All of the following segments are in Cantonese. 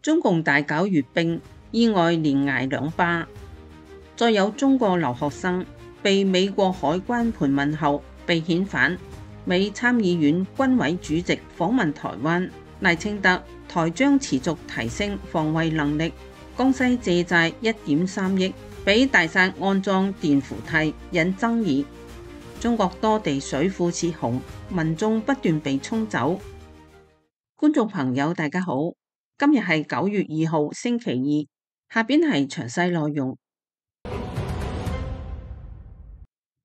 中共大搞閱兵，意外連挨2巴。再有中國留學生被美國海關盤問後被遣返。美參議院軍委主席訪問台灣，賴清德台將持續提升防衛能力。江西借債1.3億俾大薩安裝電扶梯，引爭議。中國多地水庫泄洪，民眾不斷被沖走。觀眾朋友大家好，今日係9月2號星期二，下邊係詳細內容。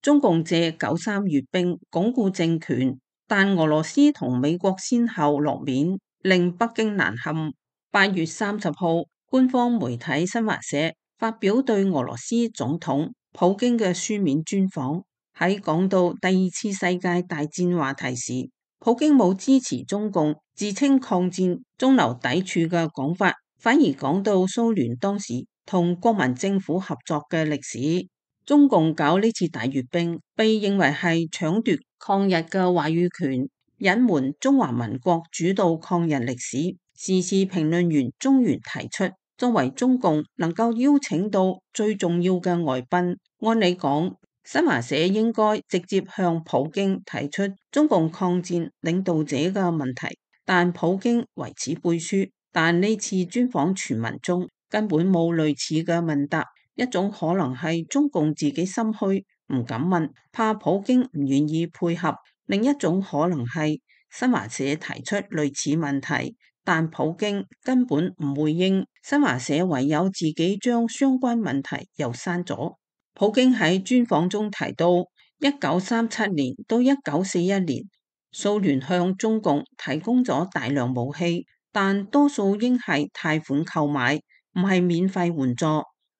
中共借9·3閱兵鞏固政權，但俄羅斯同美國先後落面，令北京難堪。8月30號，官方媒體新華社發表對俄羅斯總統普京嘅書面專訪，喺講到第2次世界大戰話題時，普京冇支持中共自稱抗戰中流砥柱嘅講法，反而講到蘇聯當時同國民政府合作嘅歷史。中共搞呢次大閱兵，被認為係搶奪抗日嘅話語權，隱瞞中華民國主導抗日歷史。時事評論員中原提出，作為中共能夠邀請到最重要嘅外賓，按理講，新華社應該直接向普京提出中共抗戰領導者嘅問題，但普京為此背書。但呢次專訪傳聞中根本冇類似嘅問答，一種可能係中共自己心虛唔敢問，怕普京唔願意配合；另一種可能係新華社提出類似問題，但普京根本唔回應，新華社唯有自己將相關問題又刪咗。普京喺專訪中提到，1937年到1941年，蘇聯向中共提供咗大量武器，但多數應係貸款購買，唔係免費援助。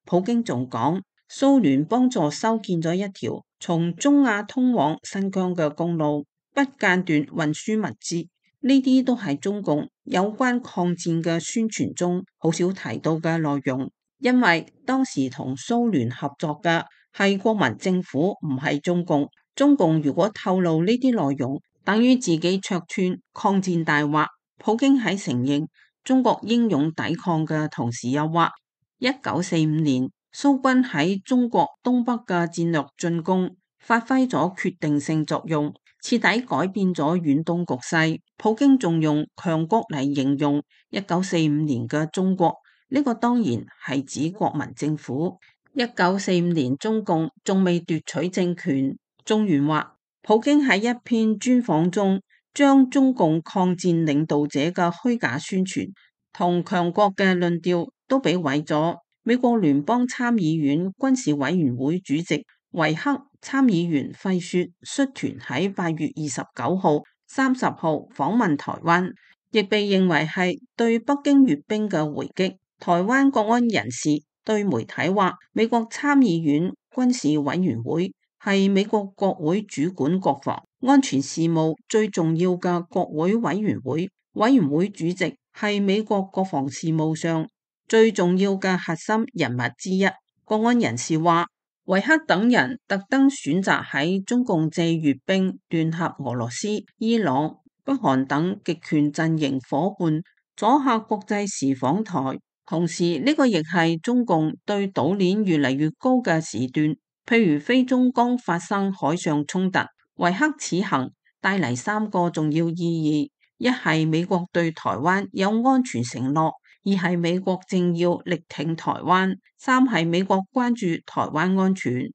普京仲講，蘇聯幫助修建咗一條從中亞通往新疆嘅公路，不間斷運輸物資。呢啲都係中共有關抗戰嘅宣傳中好少提到嘅內容，因為當時同蘇聯合作嘅係國民政府，唔係中共。中共如果透露呢啲內容，等於自己戳穿抗戰大話。普京喺承認中國英勇抵抗嘅同時，又話1945年蘇軍喺中國東北嘅戰略進攻發揮咗決定性作用，徹底改變咗遠東局勢。普京仲用強國嚟形容1945年嘅中國，呢個當然係指國民政府。1945年中共仲未奪取政權。中原話，普京喺一篇專訪中將中共抗戰領導者嘅虛假宣傳同強國嘅論調都俾毀咗。美國聯邦參議院軍事委員會主席維克參議員費雪率團喺8月29號、30號訪問台灣，亦被認為係對北京閱兵嘅回擊。台灣國安人士對媒體話，美國參議院軍事委員會係美國國會主管國防安全事務最重要嘅國會委員會，委員會主席係美國國防事務上最重要嘅核心人物之一。國安人士話，維克等人特登選擇喺中共借閱兵聯合俄羅斯、伊朗、北韓等極權陣營夥伴，阻嚇國際時訪台。同時呢個亦係中共對島鏈越嚟越高嘅時段，譬如非中剛發生海上衝突，維克此行帶嚟3個重要意義：一係美國對台灣有安全承諾；二係美國正要力挺台灣；三係美國關注台灣安全。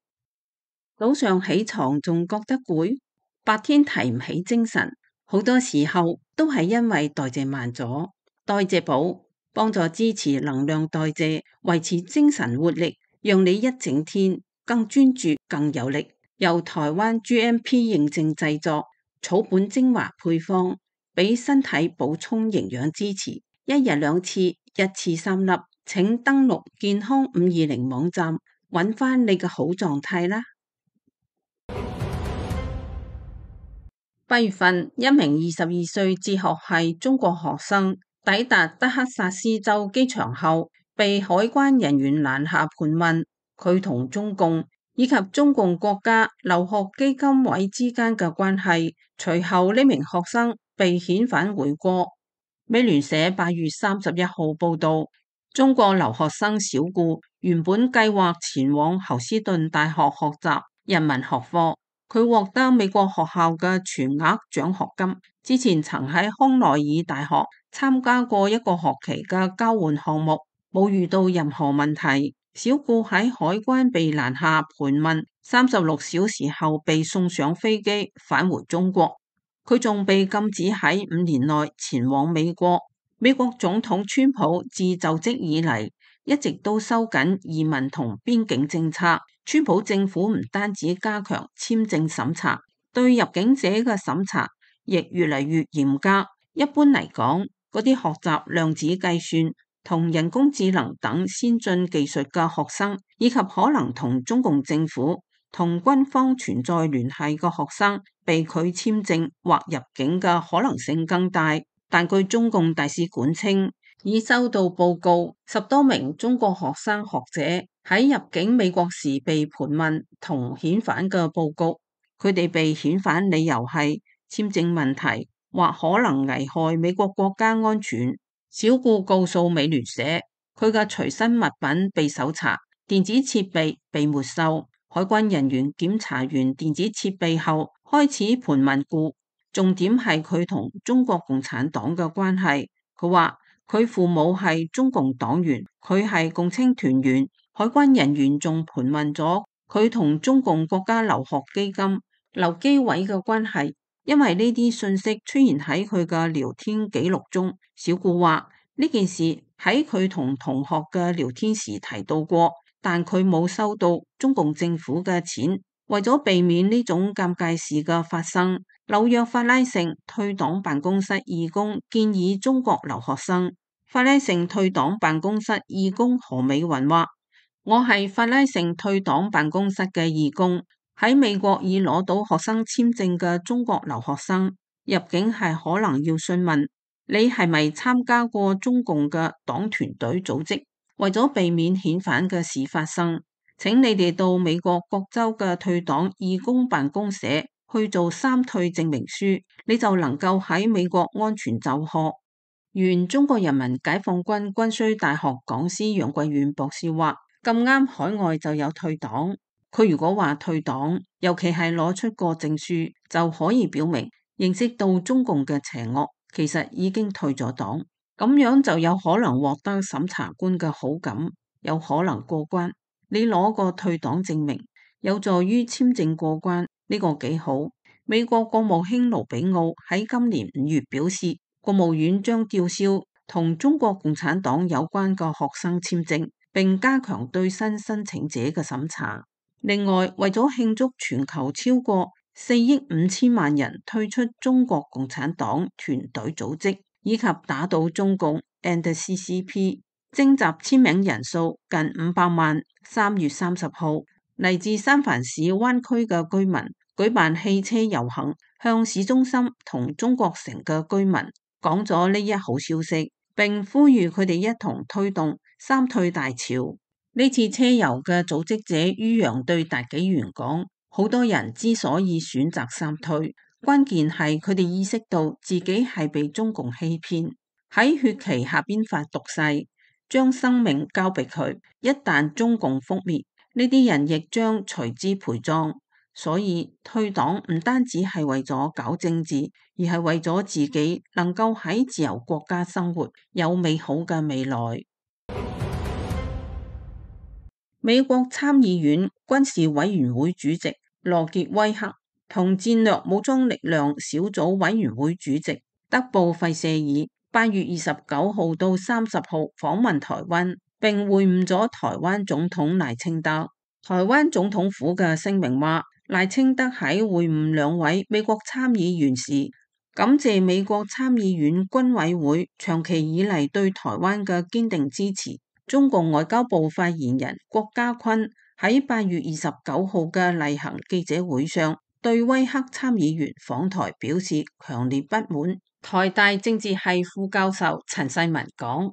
早上起床仲覺得攰，白天提唔起精神，好多時候都係因為代謝慢咗。代謝寶幫助支持能量代謝，維持精神活力，讓你一整天更專注、更有力。由台灣 GMP 認證製作，草本精華配方，俾身體補充營養支持。1日2次，1次3粒。請登錄健康520網站，揾翻你嘅好狀態啦。8月份，一名22歲哲學系中國學生抵達德克薩斯州機場後，被海關人員攔下盤問佢同中共以及中共國家留學基金委之間嘅關係。隨後呢名學生被遣返回國。美聯社8月31號報道，中國留學生小顧原本計劃前往侯斯頓大學學習人文學科，佢獲得美國學校嘅全額獎學金。之前曾喺康奈爾大學參加過一個學期嘅交換項目，冇遇到任何問題。小顧喺海關被攔下盤問36小時後被送上飛機返回中國，佢仲被禁止喺5年內前往美國。美國總統川普自就職以嚟一直都收緊移民同邊境政策，川普政府唔單止加強簽證審查，對入境者嘅審查亦越嚟越嚴格。一般嚟講，嗰啲學習量子計算同人工智能等先進技術嘅學生，以及可能同中共政府同軍方存在聯繫嘅學生，被拒簽證或入境嘅可能性更大。但據中共大使館稱，已收到報告，10多名中國學生學者喺入境美國時被盤問同遣返嘅報告，佢哋被遣返理由係簽證問題或可能危害美國國家安全。小顧告訴美聯社，佢嘅隨身物品被搜查，電子設備被沒收。海關人員檢查完電子設備後，開始盤問顧，重點係佢同中國共產黨嘅關係。佢話佢父母係中共黨員，佢係共青團員。海關人員仲盤問咗佢同中共國家留學基金、留機委嘅關係。因為呢啲信息出現喺佢嘅聊天記錄中，小顧話呢件事喺佢同同學嘅聊天時提到過，但佢冇收到中共政府嘅錢。為咗避免呢種尷尬事嘅發生，紐約法拉盛退黨辦公室義工建議中國留學生。法拉盛退黨辦公室義工何美雲話：我係法拉盛退黨辦公室嘅義工。喺美國已攞到學生簽證嘅中國留學生入境係可能要詢問你係咪參加過中共嘅黨團隊組織，為咗避免遣返嘅事發生，請你哋到美國各州嘅退黨義工辦公社去做3退證明書，你就能夠喺美國安全就學。原中國人民解放軍軍需大學講師楊貴遠博士話：咁啱海外就有退黨。佢如果話退黨，尤其係攞出個證書，就可以表明認識到中共嘅邪惡，其實已經退咗黨，咁樣就有可能獲得審查官嘅好感，有可能過關。你攞個退黨證明，有助於簽證過關，呢個幾好。美國國務卿盧比奧喺今年5月表示，國務院將吊銷同中國共產黨有關嘅學生簽證，並加強對新申請者嘅審查。另外，為咗慶祝全球超過4億5千萬人退出中國共產黨團隊組織，以及打倒中共 and CCP， 徵集簽名人數近500萬。3月30號，嚟自三藩市灣區嘅居民舉辦汽車遊行，向市中心同中國城嘅居民講咗呢一好消息，並呼籲佢哋一同推動3退大潮。呢次車遊嘅組織者于洋對大紀元講：好多人之所以選擇3退，關鍵係佢哋意識到自己係被中共欺騙，喺血旗下邊發毒誓，將生命交俾佢。一旦中共覆滅，呢啲人亦將隨之陪葬。所以退黨唔單止係為咗搞政治，而係為咗自己能夠喺自由國家生活，有美好嘅未來。美國參議院軍事委員會主席羅傑威克同戰略武裝力量小組委員會主席德布費舍爾8月29號到30號訪問台灣，並會晤咗台灣總統賴清德。台灣總統府嘅聲明話，賴清德喺會晤2位美國參議員時，感謝美國參議院軍委會長期以嚟對台灣嘅堅定支持。中共外交部發言人郭家坤喺8月29號嘅例行記者會上，對威克參議員訪台表示強烈不滿。台大政治系副教授陳世文講：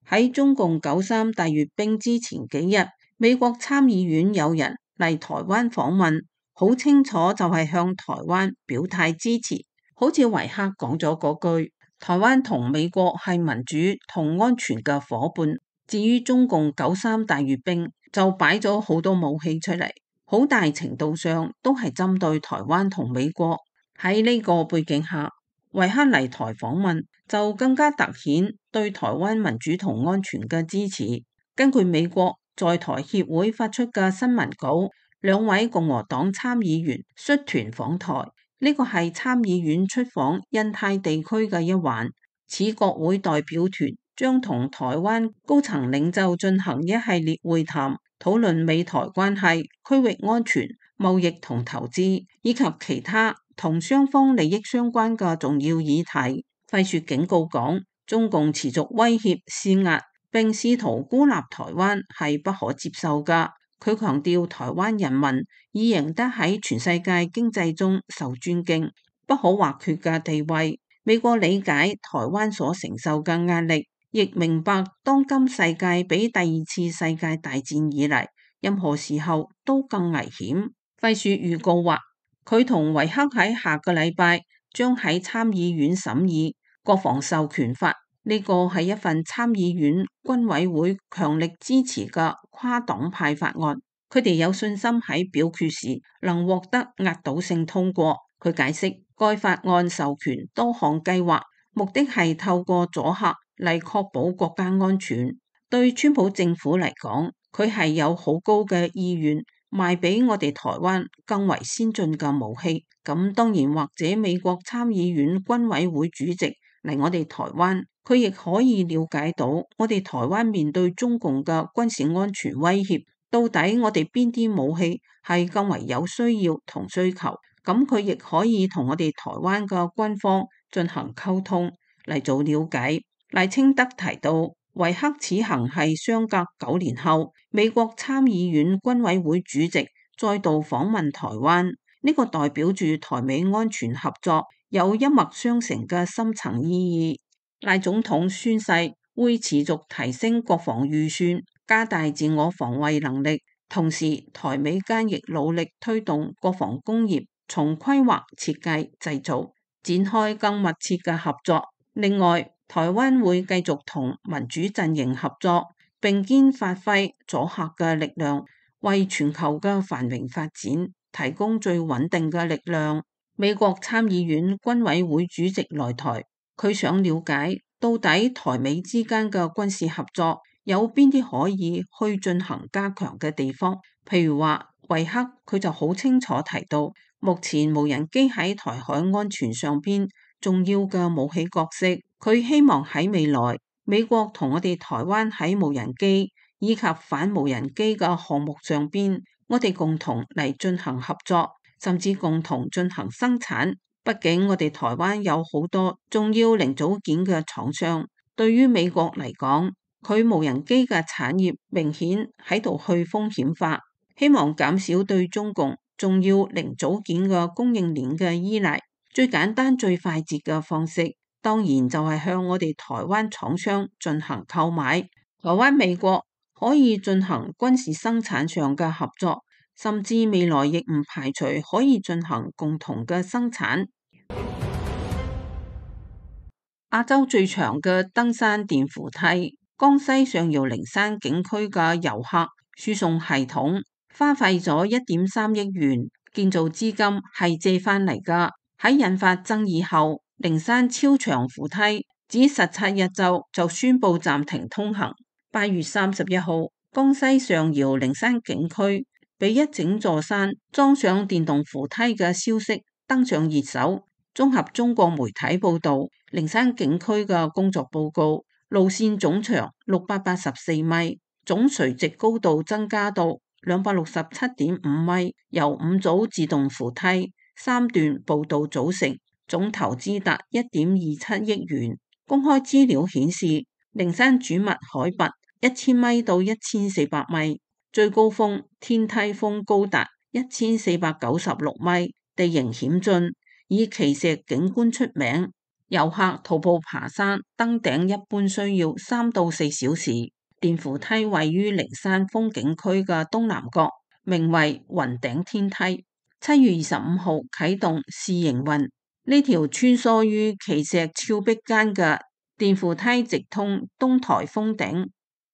喺中共93大閱兵之前幾日，美國參議院有人嚟台灣訪問，好清楚就係向台灣表態支持，好似維克講咗嗰句，台灣同美國係民主同安全嘅夥伴。至於中共93大閱兵就擺咗好多武器出嚟，好大程度上都係針對台灣同美國。喺呢個背景下，維克嚟台訪問就更加凸顯對台灣民主同安全嘅支持。根據美國在台協會發出嘅新聞稿，兩位共和黨參議員率團訪台，呢個係參議院出訪印太地區嘅一環。此國會代表團將同台灣高層領袖進行一系列會談，討論美台關係、區域安全、貿易同投資，以及其他同雙方利益相關嘅重要議題。費雪警告講，中共持續威脅施壓並試圖孤立台灣係不可接受㗎。佢強調台灣人民已贏得喺全世界經濟中受尊敬、不可或缺嘅地位。美國理解台灣所承受嘅壓力，亦明白當今世界比第二次世界大戰以嚟任何時候都更危險。費雪預告話，佢同維克喺下個禮拜將喺參議院審議國防授權法，呢個係一份參議院軍委會強力支持嘅跨黨派法案。佢哋有信心喺表決時能獲得壓倒性通過。佢解釋，該法案授權多項計劃，目的係透過阻嚇嚟確保國家安全。對川普政府嚟講，佢係有好高嘅意願賣俾我哋台灣更為先進嘅武器。咁當然，或者美國參議院軍委會主席嚟我哋台灣，佢亦可以了解到我哋台灣面對中共嘅軍事安全威脅，到底我哋邊啲武器係更為有需要同需求。咁佢亦可以同我哋台灣嘅軍方進行溝通嚟做了解。賴清德提到，維克此行係相隔9年後，美國參議院軍委會主席再度訪問台灣，呢個代表住台美安全合作有一脈相承嘅深層意義。賴總統宣誓會持續提升國防預算，加大自我防衛能力，同時台美間亦努力推動國防工業從規劃、設計、製造展開更密切嘅合作。另外，台灣會繼續同民主陣營合作，並肩發揮阻嚇嘅力量，為全球嘅繁榮發展提供最穩定嘅力量。美國參議院軍委會主席來台，佢想了解到底台美之間嘅軍事合作有邊啲可以去進行加強嘅地方。譬如話，維克佢就好清楚提到，目前無人機喺台海安全上邊重要嘅武器角色，佢希望喺未來美國同我哋台灣喺無人機以及反無人機嘅項目上邊，我哋共同嚟進行合作，甚至共同進行生產。畢竟我哋台灣有好多重要零組件嘅廠商，對於美國嚟講，佢無人機嘅產業明顯喺度去風險化，希望減少對中共重要零組件嘅供應鏈嘅依賴。最簡單最快捷嘅方式，當然就係向我哋台灣廠商進行購買。台灣美國可以進行軍事生產上嘅合作，甚至未來亦唔排除可以進行共同嘅生產。亞洲最長嘅登山電扶梯，江西上饒靈山景區嘅遊客輸送系統花費咗1.3億元，建造資金係借翻嚟㗎。喺引發爭議後，靈山超長扶梯只17日就宣布暫停通行。8月31號，江西上饒靈山景區俾一整座山裝上電動扶梯嘅消息登上熱搜。綜合中國媒體報道，靈山景區嘅工作報告，路線總長684米，總垂直高度增加到267.5米，由5組自動扶梯、3段步道組成，總投資達1.27億元。公開資料顯示，靈山主脈海拔1000米到1400米，最高峰天梯峰高達1496米，地形險峻，以奇石景觀出名，遊客徒步爬山登頂一般需要3到4小時。電扶梯位於靈山風景區嘅東南角，名為雲頂天梯。7月25號啟動試營運，呢條穿梭於奇石峭壁間嘅電扶梯直通東台峰頂，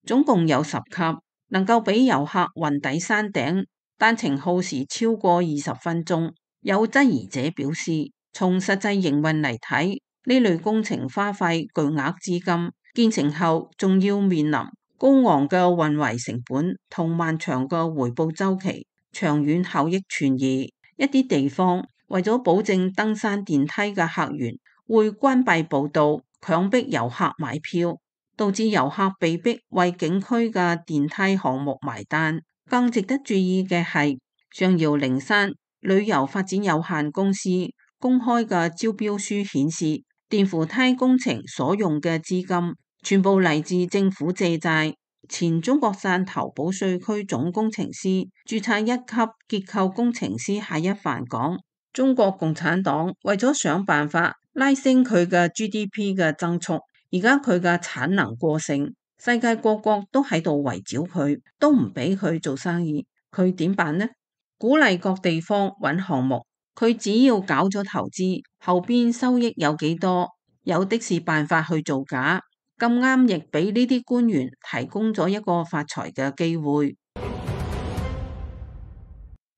總共有10級，能夠俾遊客暈抵山頂，單程耗時超過20分鐘。有質疑者表示，從實際營運嚟睇，呢類工程花費巨額資金，建成後仲要面臨高昂嘅運維成本同漫長嘅回報週期，長遠效益存疑。一啲地方為咗保證登山電梯嘅客源，會關閉步道，強迫遊客買票，導致遊客被迫為景區嘅電梯項目埋單。更值得注意嘅係，上饒靈山旅遊發展有限公司公開嘅招標書顯示，電扶梯工程所用嘅資金全部嚟自政府借債。前中國汕頭保稅區總工程師、註冊1級結構工程師夏一帆講：中國共產黨為咗想辦法拉升佢嘅 GDP 嘅增速，而家佢嘅產能過剩，世界各國都喺度圍剿佢，都唔俾佢做生意，佢點辦呢？鼓勵各地方揾項目，佢只要搞咗投資，後邊收益有幾多，有的是辦法去造假。咁啱亦俾呢啲官員提供咗一個發財嘅機會。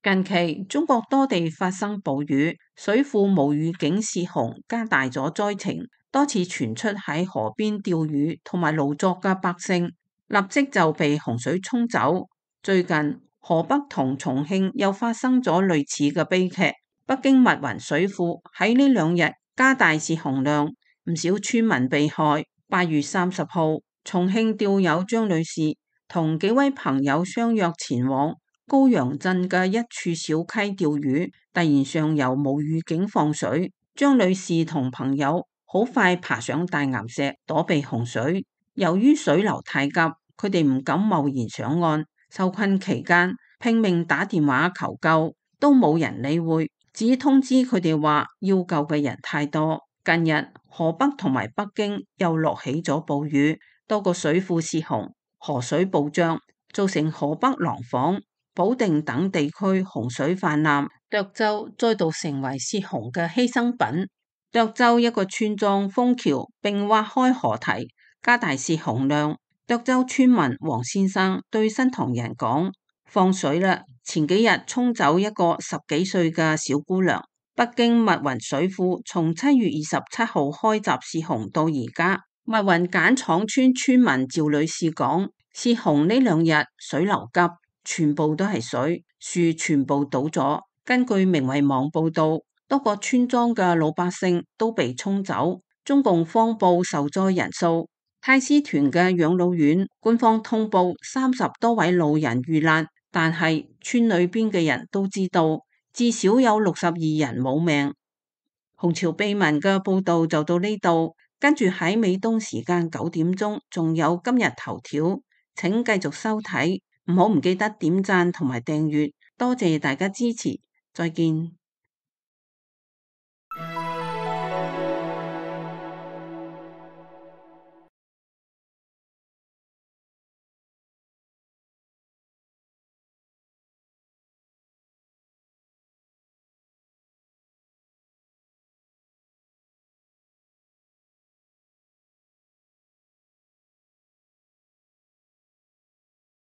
近期中國多地發生暴雨，水庫無預警泄洪，加大咗災情。多次傳出喺河邊釣魚同埋勞作嘅百姓，立即就被洪水沖走。最近河北同重慶又發生咗類似嘅悲劇。北京密雲水庫喺呢2日加大泄洪量，唔少村民被害。8月30號，重慶釣友張女士同幾位朋友相約前往高陽鎮嘅一處小溪釣魚，突然上游無預警放水，張女士同朋友好快爬上大岩石躲避洪水。由於水流太急，佢哋唔敢貿然上岸，受困期間拼命打電話求救，都冇人理會，只通知佢哋話要救嘅人太多。近日河北同埋北京又落起咗暴雨，多個水庫泄洪，河水暴漲，造成河北廊坊、保定等地區洪水泛濫，涿州再度成為泄洪嘅犧牲品。涿州一個村莊封橋並挖開河堤，加大泄洪量。涿州村民黃先生對新唐人講：放水啦！前幾日沖走一個10幾歲嘅小姑娘。北京密雲水庫從7月27號開閘泄洪到而家，密雲簡廠村村民趙女士講：泄洪呢2日水流急，全部都係水，樹全部倒咗。根據明慧網報道，多個村莊嘅老百姓都被沖走。中共謊報受災人數，太師團嘅養老院官方通報30多位老人遇難，但係村裏邊嘅人都知道，至少有62人冇命。紅潮秘聞嘅報道就到呢度，跟住喺美東時間9點鐘仲有今日頭條，請繼續收睇，唔記得點讚同埋訂閱，多謝大家支持，再見。